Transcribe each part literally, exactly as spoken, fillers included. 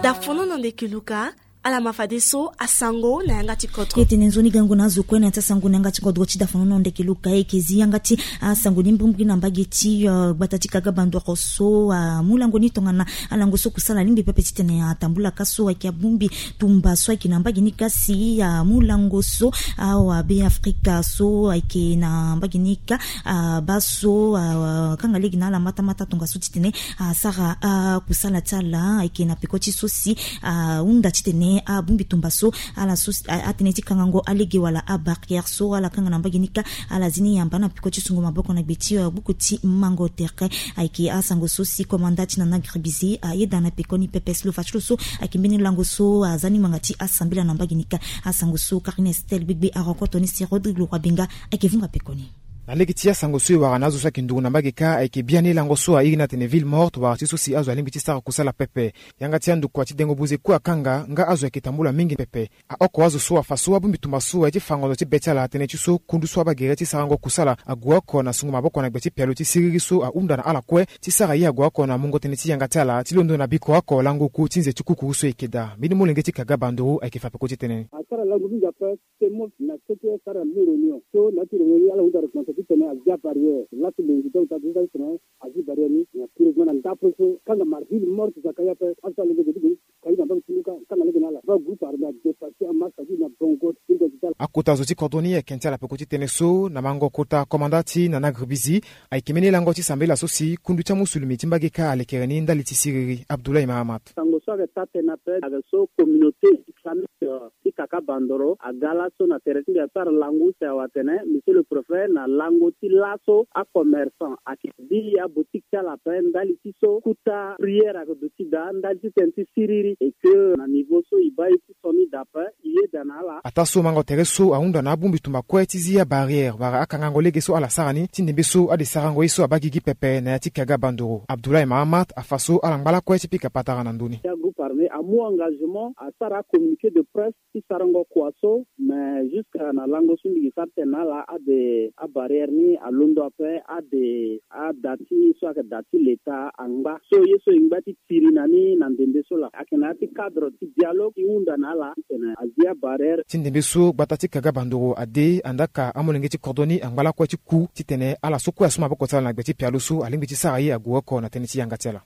Dafono na ndeke luka. Ala ma fadeso asango na yanga ti kodro. Etene nzoni gango na azo kue na ya ti asango na yanga ti kodro ti dafono na ndeke luka. Eke zi yanga ti asango ni mbrimbri na mbage ti, eh, gbata ti kaga bandoro so, ah, amu lango ni tongana alango so kusala alingbi pepe titene atambula ka so ayeke abongbi tumba so ayeke na mbage ni ka si, ah, amu lango so, ah, awabe afrika so ayeke na mbage ni ka, ah, baa so, ah, akanga lege na ala matamata tongaso titene asara, ah, kusala ti ala ayeke na peko ti so si, ah, ahunda titene abongbi tumba so ala so, ah, atënë ti kangango alege wala abarrière so ala kanga na mbage ni ka, ala zi ni yamba na peko ti sungo maboko na gbe ti, ah, buku ti mango tere. Ayeke asango so si komanda ti nana gribizi ayeda na pekoni pepe. Slofa ti lo so ayeke mbeni lango so aza ni ngbanga ti asambela na mbage ni ka. Asango so Karine Estelle Gbegbe arencontre ni si Rodrigue Leroy Benga ayeke vunga pekoni. Na lege ti asango so e wara na azo so ayeke nduru na mbage ka, ayeke biani lango so airi ni atene ville morte wala ti so si azo alingbi ti sara kusala pepe. Yanga ti andokua ti dengo buze kue akanga nga azo ayeke tambula mingi pepe. Aoko azo so afa so abongbi tumba so aye ti fa ngonzo ti be ti ala atene ti so kundu so abaa gere ti sarango kusala ague oko na sungo maboko na gbe ti pialo ti siriri so ahunda na ala kue ti sara ye ague oko na mungo tënë ti yanga ti ala ti londo na biko oko lango oku ti nze ti kukuru so e yeke daa. Mbeni molenge ti kaga bandoro ayeke fa peko ti tënë ni. Asara lango mingi ape. Semos na so ti asara mi réunion so na ya ti réunion ni ala hunda réponse titene azia barrière laso lo ngi donc ta ti tene azia barrière ni na curieusement na ndapo so kanga ma ville morte zaka ye ape. Aso alenge zo ti geni kayi na mbage ti luka kanga lege na ala va groupe armé adepassi amasa ti na bongo ti ndo ti tala. Akota zo ti kodro ni ayeke ti ala peko ti tënë so na mango kota komanda ti nana gribizi. Ayeke mbeni lango ti sambela so si kundu ti amusulumi ti mbage ka alekere ni ndali ti siriri. Abdoulaye Mahamat. Sango so ayeke taa tënë ape ayeke so communauté islamique ti kaka bandoro aga laso na tere ti mbi asara lango use awe atene monsieur le préfet na lango ti laso acommerçant ayeke bi aboutique ti ala ape ndali ti so kuta prière ayeke duti daa ndali ti tënë ti siriri et que na niveau so e baa ye ti so ni daa ape e yeda na ala. Ataa so mango tere so ahunda na abongbi tumba kue ti zi abarrière wala akangango lege so ala sara ni ti ndembe so ade sarango ye so abaa gigi pepe na ya ti kaga bandoro. Abdoulaye Mahamat afa so ala ngba lakue ti pika patara na ndö ni. Ya groupe armé amu engagement asara communiqué de presse ti sarango kua so mais jusque na lango so mbi gi sara tene na ala ade abarrière ni alondo ape ade ada ti so ayeke da ti leta angba so ye so e ngba ti tiri na ni na ndembe so laa ayeke na ya ti cadre ti dialogue ti hunda na ala titene azi abarrière. Ti ndembe so gbata ti kaga bandoro ade andaa ka amolenge ti kodro ni angba lakue ti ku titene ala so kue asu maboko ti ala na gbe ti pialo so alingbi ti sara ye ague oko na tënë ti yanga ti ala.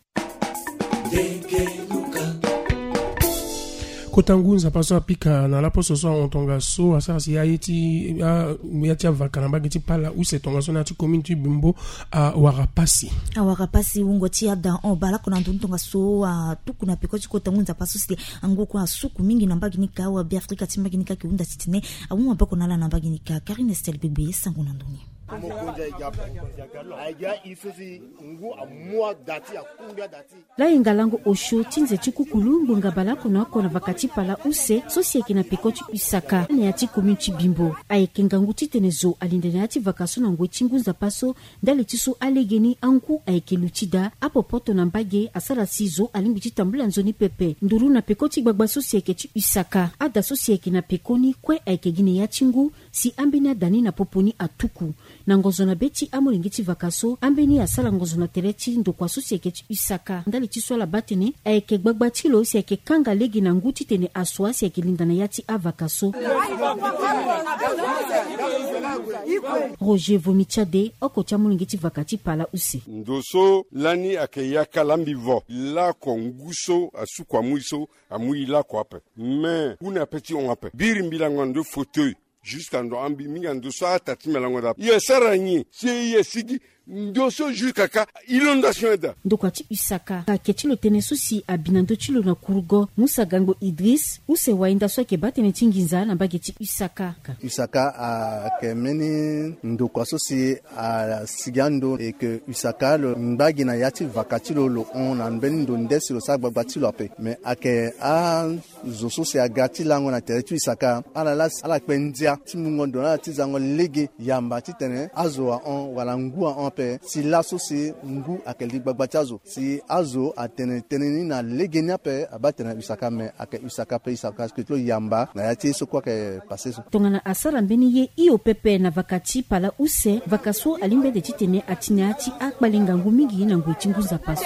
Kota ngu nzapa so apika na laposo so ahon tongaso asara si aye ti a ya ti avaka na mbage ti pala use tongaso na ya ti commune ti bimbo awara pasi. Awara pasi wungo ti ada hon baleoko na ndoni tongaso atuku na peko ti kota ngu nzapa so si angu kue asuku mingi na mbage ni ka awabe afrika ti mbage ni ka ayeke hunda titene amu maboko na ala na mbage ni ka. Karine Estelle Gbegbe sango na ndoni. Layenga lango osio ti nze ti kukulu ngbonga baleoko na oko na vaka ti pala use so si ayeke na peko ti usaka na ya ti commune ti bimbo. Ayeke ngangu titene zo alinde na ya ti vaka so na ngoi ti ngu nzapa so ndali ti so alege ni angu ayeke luti daa apopoto na mbage asara si zo alingbi ti tambula nzoni pepe nduru na peko ti gbagba so si ayeke ti usaka ada so si ayeke na pekoni kue ayeke gi na ya ti ngu si ambeni ada ni na popo ni atuku na ngonzo na be ti amolenge ti vaka so ambeni asara ngonzo na tere ti ndokua so si ayeke ti usaka ndali ti so ala baa tene ayeke gbagba ti lo si ayeke kanga lege na ngu titene asua si ayeke linda na ya ti avaka so. Roger Vomi Tchade oko ti amolenge ti vaka ti pala use. Ndo so lani ayeke yaka lambi vo lako ngu so asuku amu ye so amu ye lako ape. Me ngu na pe ti hon ape biri mbi lango na ndo fauteuil. Jusque ando ambi mingi ando so ata ti mbi alango daa e asara nyen si e asigi ndo so jusque aka inondation eda. Ndokua ti usaka ayeke ti lo tënë so si abi na ndö ti lo na kurugo musa gangbo idris use wainda so ayeke baa tënë ti nginza na mbage ti usaka. Usaka ayeke mbeni ndokua so si asigi ando eke usaka lo ngba gi na ya ti vaka ti lo lo hon na mbeni ndo nde si lo sara gbagba ti lo ape me ayeke a zo so si aga ti lango na tere ti usaka ala laa si ala kpe ndia ti mungo ndo na ala ti zango lege yamba titene azo ahon wala ngu ahon ape. ape si laso si ngu ayeke li gbagba ti azo. Si azo atene tënë ni na legeni ape abaa tene na usaka me ayeke usaka ape usaka si keti lo yamba na ya ti ye so kue ayeke pase so. Tongana asara mbeni ye hio pepe na vaka ti pala use, vaka so alingbi ande titene ati na ya ti akpale ngangu mingi na ngoi ti ngu nzapa so.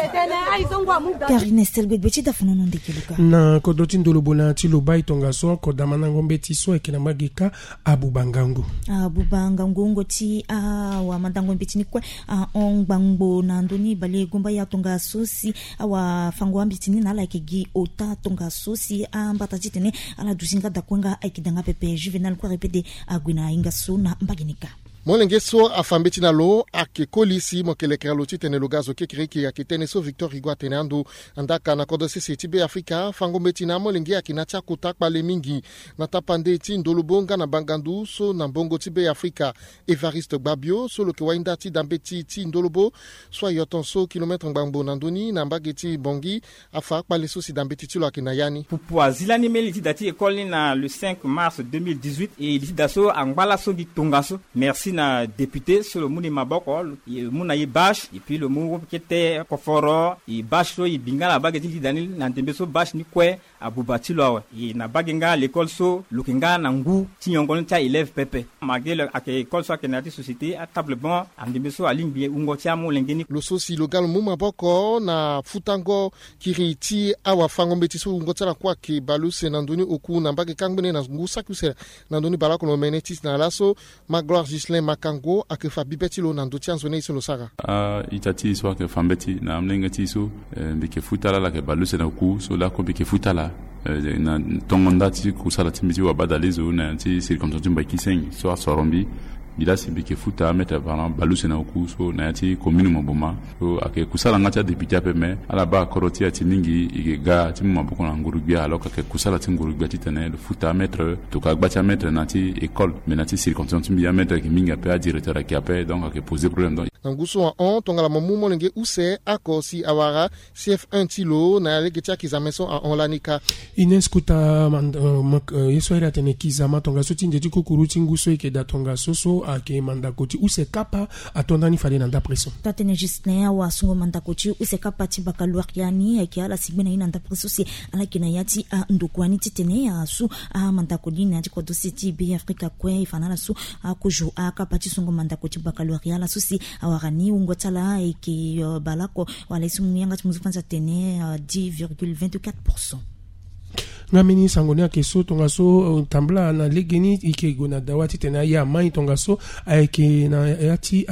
Karine Estel gbegbe ti dafonono ndeke luka. Na kodro ti ndolobo na ya ti lobai tongaso oko damandango mbeti so ayeke na mbage kâ abuba ngangu. Abuba ngangu wungo ti awamandango mbeti ni kue ahon ngbangbo na ndö ni bale gomba ya tongaso si awafango ambeti ni na ala ayeke gi ota tongaso si ambata titene ala duti nga dakue nga ayeke danga pepe. Juvenal kue repede ague na hinga so na mbage ni kâ. Molenge so afa mbeti na lo ayeke koli si mo yeke lekere lo titene lo ga zo kekereke ayeke tënë so Victor Rigo atene ando. Andaka na kodro sese ti Be Afrika, fango mbeti na amolenge ayeke na ya ti akota kpale mingi na tapande ti ndolobo nga na bangandu so na mbongo ti Be Afrika. Evariste Gbabio so lo yeke wayinda ti da mbeti ti ndolobo so ayo ton so kilometre ngbangbo na ndö ni na mbage ti Bangui, afa akpale so si da mbeti ti lo ayeke na ya ni. Pupu azi lani mbeni li ti da ti école ni na le cinq mars deux mille dix-huit, e li ti da so angba laso gi tongaso. Merci na député so lo mu ni maboko, e mu na e bâche, et puis lo mu kete koforo, e bâche so e bi nga na mbage ti li ti da ni na ndembe so bâche ni kue abuba ti lo awe. E na mbage nga l'école so lo yeke nga na ngu ti nyongo ni ti aélève pepe. Malgré lo ayeke école so ayeke na ya ti société, atable banc andembe so alingbi wungo ti amolenge ni. Lo so si lo ga lo mu maboko na futango kiri ti awafango mbeti so wungo ti ala kue ayeke baleuse na ndö ni oku na mbage kâ ngbene na ngu saki use na ndö ni baleoko lo mene ti si na laso. Magloire Ghislain Makango ayeke fa bibe ti lo na ndö ti anzoni ye so lo sara. A-ita ti e so ayeke fa mbeti na amolenge ti e so, eh, mbi yeke futa ala, ala yeke baleuse na oku so laoko mbi yeke futa ala, eh, na tongo nda ti kusala ti mbi ti wabadalezo na ya ti circonstance ti Mbaï-Kisinghi so asoro mbi. Mbi laa si mbi yeke futa amètre avant baleuse na oku so na ya ti commune Moboma. So ayeke kusala nga ti adéputé ape me ala baa kodro ti e ati mingi, e yeke ga ti mu maboko na nguru-gbia alors ayeke kusala ti nguru-gbia titene lo futa amètre tokua gba ti amètre na ya ti école. Mais na ya ti circonstance ti mbi amètre ayeke mingi ape, adirecteur ayeke ape, donc ayeke poser problème. Donc na ngu so ahon tongana mo mu molenge use oko si awara C F un ti lo na ya lege ti akizame so ahon lani kâ. Ines Kota mand-, eh, mak-, eh, ye so ayeke atene kizama tongaso ti nze ti kukuru ti ngu so e yeke daa tongaso so ayeke mandako ti use kapa ato ndani fade na ndapre so. Taa-tënë Justin, awasungo mandako ti use kapa ti baccalauréat ni ayeke ala si gbe na ye na ndapre so si ala yeke na ya ti andokua ni titene asu amandako ni na ya ti kodro sese ti Be Afrika kue. E fa na ala so akozo akapa ti sungo mandako ti baccalauréat laso si awara ni wungo ti ala ayeke, eh, baleoko wala ye so mu yanga ti mu zo fani ti atene, eh, dix virgule vingt-quatre pour cent. Nga mbeni sango ni ayeke so tongaso, eh, tambula na legeni e yeke gue na dawa titene aye amai tongaso ayeke na ya ti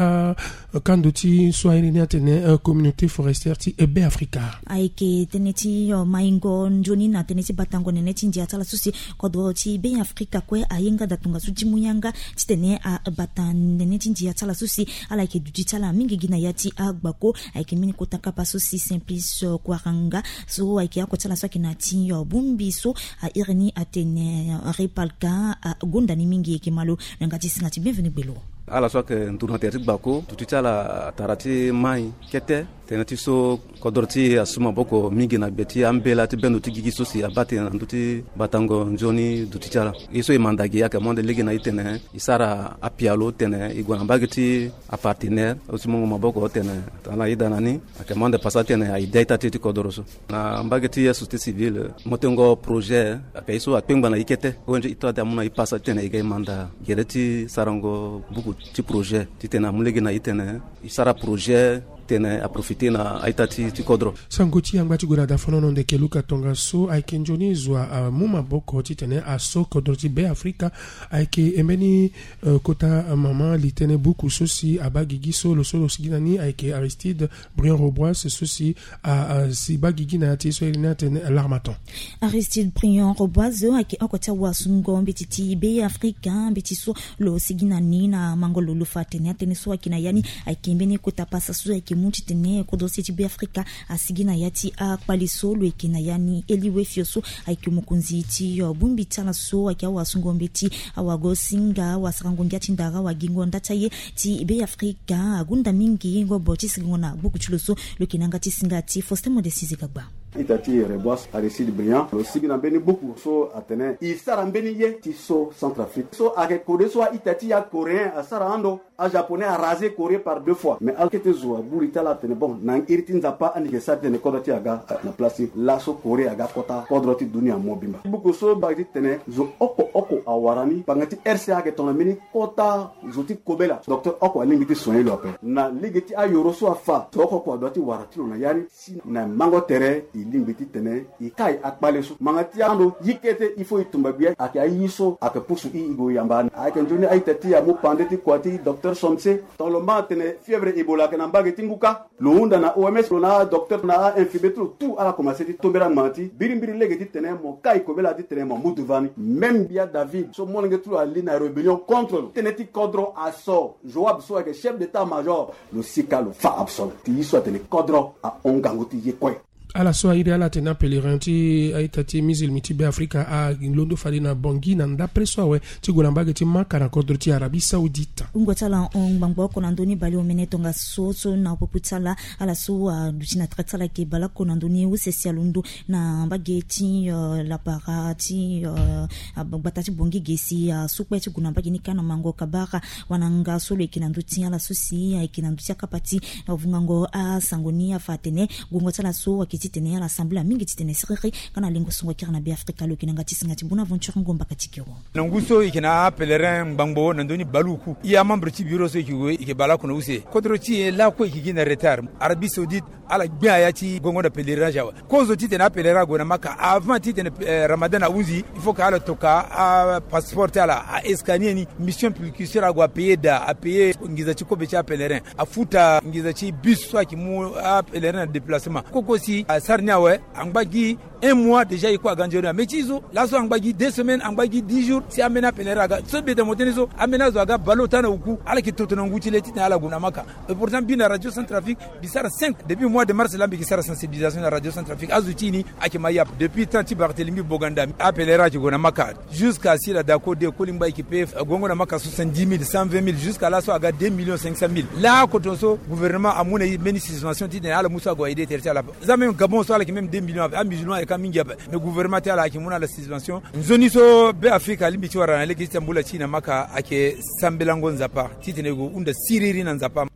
akando ti so airi ni atene, eh, communauté forestière ti, eh, Be Afrika. Ayeke tënë ti, eh, maingo nzoni na tënë ti batango nene ti ndia ti ala so si kodro ti Be Afrika kue aye nga daa tongaso ti mu yanga titene abata nene ti ndia ti ala so si ala yeke duti ti ala mingi gi na ya ti agbako. Ayeke mbeni kota kapa so si Simplice, eh, Kwaranga so ayeke oko ti ala so ayeke na ya ti, eh, bongbi so airi ni atene, eh, Repalka, eh, agonda ni mingi. E yeke ma lo na yanga ti singa ti Bienvenu Gbelo. Ala so ayeke nduru na tere ti gbako, duti ti ala atara ti mai kete. Tënë ti so kodro ti e asu maboko mingi na gbe ti ambela ti bendo ti gigi so si abaa tënë na ndö ti batango nzoni duti ti ala. Ye so e manda gi ayeke mo ande lege na e tene e sara apialo tene e gue na mbage ti apartenaire so ti mungo maboko tene ala yeda na ni. Ayeke mo ande pasa tene aye de a-ita ti e ti kodro so. Na mbage ti société civile, motengo projet ayeke ye so akpengba na e kete. O N G ita ti amu na e pasa titene e ga e manda gere ti sarango buku ti projet titene amu lege na e tene e sara projet titene aprofite na a-ita ti, ti kodro. Sango ti yangba ti gue na dafonono ndeke luka tongaso ayeke nzoni zo amu maboko titene aso kodro ti Be Afrika. Ayeke mbeni, eh, kota mama li tënë buku so si abaa gigi so lo so lo sigi na ni ayeke Aristide Briand Robois so si a, a si baa gigi na ya ti ye so airi ni atene L'Harmattan. Aristide Briand Robois ayeke oko ti awasungo mbeti ti Be Afrika, mbeti so lo sigi na ni na mango lo, lo fa atene atënë so ayeke na ya ni ayeke mbeni kota pasa so ayeke mu titene kodro sese ti Be Afrika asigi na ya ti akpale so lo yeke na ya ni. Eli Wefio so ayeke mokonzi ti, eh, bongbi ti ala so ayeke awasungo mbeti, awagosinga, awasarango ngia ti ndara, awagingo nda ti aye ti Be Afrika agonda mingi ngobo ti sigango na gbuku ti lo so lo yeke na yanga ti singa ti Faustin Modesti Zigagba. Ita ti Rebois Aristide Briand lo sigi na mbeni buku so atene e sara mbeni ye ti so Centrafrique so ayeke kode so a-ita ti ya coréen asara ando, ajaponais arase Corée par deux fois. Mais akete zo agbu li ti ala atene bon, na iri ti Nzapa ande e ke sara titene kodro ti e aga na place ti laso Corée aga kota kodro ti dunia mobimba. Buku so baa titene zo oko oko awara ni, panga ti R C A ayeke tongana mbeni kota zo ti kobela. Docteur oko alingbi ti soigner lo ape na lege ti ayoro so afa. Zo oko oko adua ti wara ti lo na ya ni. Si na mango tere e lingbi titene e kai akpale so. Manga ti ando ye kete il faut e tumba gbia ayeke aye so ayeke pusu e e gue yamba ni. Ayeke nzoni a-ita ti e amu pande ti kua ti docteur Somse. Tongana lo ma atene fièvre Ebola ayeke na mbage ti ngu kâ, lo hunda na O M S, lo na adocteur na a-infirmier ti lo tout ala komanse ti tombela ngbanga ti birimbiri lege titene mo kai kobela titene mo mu devant ni. Même gbia David so molenge ti lo ali na rébellion contre lo, tënë ti kodro aso. Joab so ayeke chef d'état-major, lo sika lo fa absent ti ye so atene kodro ahon ngangu ti ye kue. Ala so airi ala atene apèlerin ti a-ita ti musulmi ti Beafrika alondo fade na Bangui na ndapre so awe ti gue na mbage ti Maka na kodro ti Arabie Saoudite. Wungo ti ala hon ngbangbo oko na ndö ni baleomene tongaso so na popo ti ala. Ala so aduti na tere ti ala ayeke baleoko na ndö ni use si alondo na mbage ti, euh, lapara ti, euh, gbata ti Bangui ge si asu kpe ti gue na mbage ni kâ na mango kabara. Wananga so lo yeke na ndö ti ala so si ayeke na ndö ti akapa ti vungango asango ni afa atene guengo ti ala so ayeke titene ala sambela mingi titene siriri. Nga na lengo songo akiri na Beafrika lo yeke na yanga ti singa ti Bonaventure Ngomba Katikero. Na ngu so e yeke na apèlerin ngbangbo na ndö ni baleoku, e amembre ti bureau so e yeke gue e yeke baleoko na use. Kodro ti e lakue e yeke gi na retard. Arabie Saoudite ala gbe aya ti gongo na pèlerinage awe. Kozo titene apèlerin ague na Maka avant titene, eh, Ramadan ahunzi, il faut que ala toka apasseport ti ala, a-escanier ni. Mission précurseur ague apayer daa, apayer nginza ti kobe ti apèlerin, afuta nginza ti bus so ayeke mu apèlerin na déplacement. Koko si asara ni awe, angba gi un mois déjà e kue aga nzoni. Ame ti e so laso angba gi deux semaines, angba gi dix jours si ambeni apèlerin aga. So beta mo tënë so ambeni azo aga baleota na oku, ala yeke toto na ngu ti le titene ala gue na Maka. Et pourtant mbi na Radio Centrafrique mbi sara cinq, depuis mois de mars laa mbi yeke sara sensibilisation na Radio Centrafrique. Azo ti e ni ayeke ma yap. Depuis temps ti Barthélemy Boganda, apèlerin ayeke gue na Maka. Jusqu'à Sila Dako de Kolingba e yeke paye, eh, guengo na Maka soixante-dix mille, cent vingt mille, jusqu'à laso aga deux millions cinq cent mille. Laa koton so gouvernement amu na e mbeni suspension titene ala mu so ague aide tere ti ala. Za même Gabon so ala yeke même deux millions ape, amusulman ayeke ka mingi ape. Mais gouvernement ti ala ayeke mu na ala suspension. Nzoni so Beafrika alingbi ti wara na lege ti tambula ti e na Maka ayeke sambelango Nzapa titene e gue hunda siriri na Nzapa.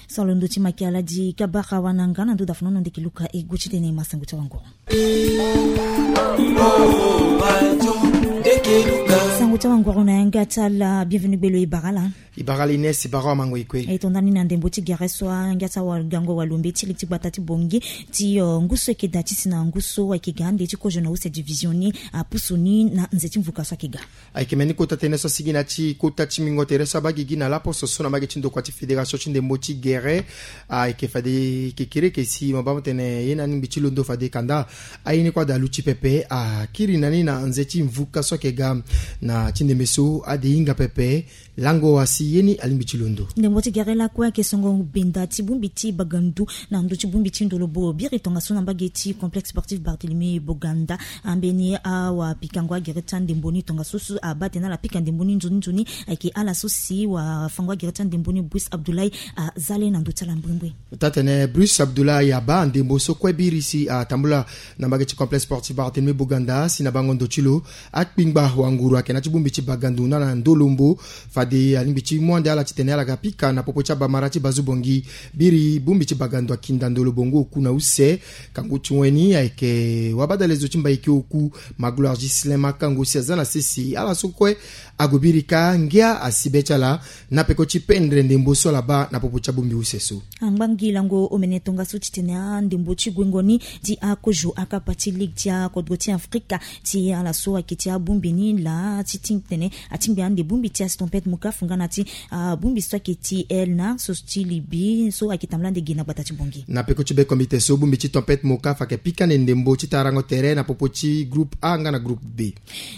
Solondo ti Makiala di kabara wananga na ndo dafonono ndeke luka e gue titene e ma sango ti awanguru. Sango ti awanguru na yanga ti ala, bienvenu gbelo, e bara ala. E bara ala Ines, e bara awamango e kue. E tonda ni na ndembo ti gere so angia ti awagango walombe ti li ti gbata ti Bangui ti, euh, ngu so e yeke daa ti si na ngu so ayeke ga ande ti kozo na use division ni apusu ni na nze ti mvuka so ayeke ga. Ayeke mbeni kota tënë so asigi na ya ti kota ti mingo tere so abaa gigi na laposo so na mbage ti ndokua ti fédération ti ndembo ti gere. Ayeke fade kekereke si mo baa mo tene ye ni alingbi ti londo fade kanda aye ni kue adalu ti pepe akiri na ni na nze ti mvuka so ayeke ga na ti ndembe so ade hinga pepe. Lango asi ye ni alingbi ti londo. Ndembo ti gere lakue ayeke songo benda ti bongbi ti bagandu na ndö ti bongbi ti ndolobo biri tongaso na mbage ti complexe sportif Barthélemy Boganda. Ambeni awapikango agere ti andembo ni tongaso so abaa tene ala pika ndembo ni nzoni nzoni ayeke ala so si wafango agere ti andembo ni Brice Abdoulaye aza le na ndö ti ala mbrimbri. Taa-tene Brice Abdoulaye abaa andembo so kue biri si atambula na mbage ti complexe sportif Barthélemy Boganda si na bango ndo ti lo akpingba wanguru ayeke na ya ti bongbi ti bagandu na na ndolombo. Fade alingbi ti mu ande ala titene ala ga pika na popo ti abamara ti Bazu Bongi. Biri bongbi ti bagandu akinda ndolombo ngu oku na use. Kangu ti weni ayeke wabadale zo ti Mbaiki oku, Magloire Ghislain Makango si aza na sese. Ala so kue ague biri kâ ngia asi be ti ala na peko ti pendre ndembo so ala baa na popo ti abongbi use so. Angba ngi lango omene tongaso titene andembo ti guengo ni ti akozo akapa ti ligue ti akodro ti Afrika ti ala so ayeke ti abongbi ni laa ti titene atingbi ande bongbi ti asi Tempête Mokaf nga na ti, ah, bongbi so ayeke ti Elna so ti Libye so ayeke tambula ande gi na gbata ti Bongi. Na peko ti be komite so bongbi ti Tempête Mokaf ayeke pika ande ndembo ti tarango tere na popo ti groupe A nga na groupe B.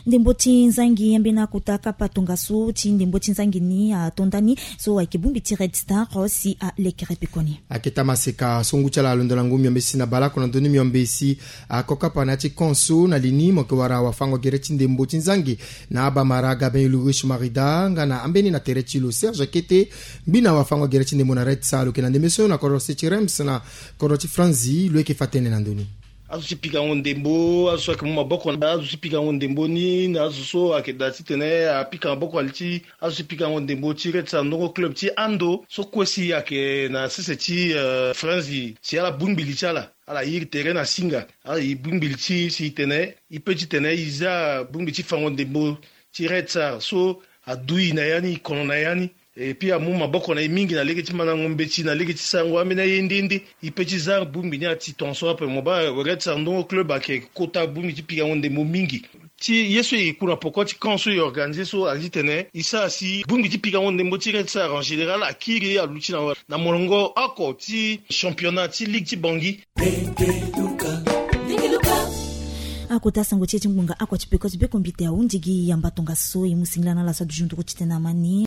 Ndembo ti nzangi ambeni akota kapa tongaso ti ndembo ti nzangi ni atonda ni so ayeke bongbi ti Red Star si alekere pekoni. Ayeke tamaseka so ngu ti ala alondo na ngu miombe si na baleoko na ndö ni miombe si ako kapa na ya ti camp so na li ni mo yeke wara wafango gere ti ndembo ti nzangi na abamara Gabin Ulrich Marida nga na ambeni na tere ti lo Serge Kete. Ngbi na wafango gere ti ndembo na Red Star lo yeke na ndembe so na kodro se ti Reims na kodro ti Franzi lo yeke fa tënë na ndö ni. azo ti pikango ndembo, azo so ayeke mu maboko na azo ti pikango ndembo ni na azo so ayeke daa titene apika maboko na li ti azo ti pikango ndembo ti Red Star ndongo club ti ando so kue si ayeke na sese ti, euh, France, si ala bongbi li ti ala, ala iri tere na singa, ala bongbi li ti si tene e pe titene e za bongbi ti fango ndembo ti Red Star so adu e na ya ni, e kono na ya ni. Et puis amu maboko na e mingi na lege ti mandango mbeti, na lege ti sarango ambeni aye nde nde. E pe ti za bongbi ni ati tongaso ape. Mo baa Red Star ndongo club ayeke kota bongbi ti pikango ndembo mingi. Ti ye so e ku na poko ti camp so e organiser so, aye titene e sara si bongbi ti pikango ndembo ti Red Star en général akiri aluti na, na molongo oko ti championnat ti ligue ti Bangui. Akota sango ti e ti ngbonga oko ti peko ti bekombite ahunzi gi yamba tongaso. E mu singila na ala so adu zunduru titene amani.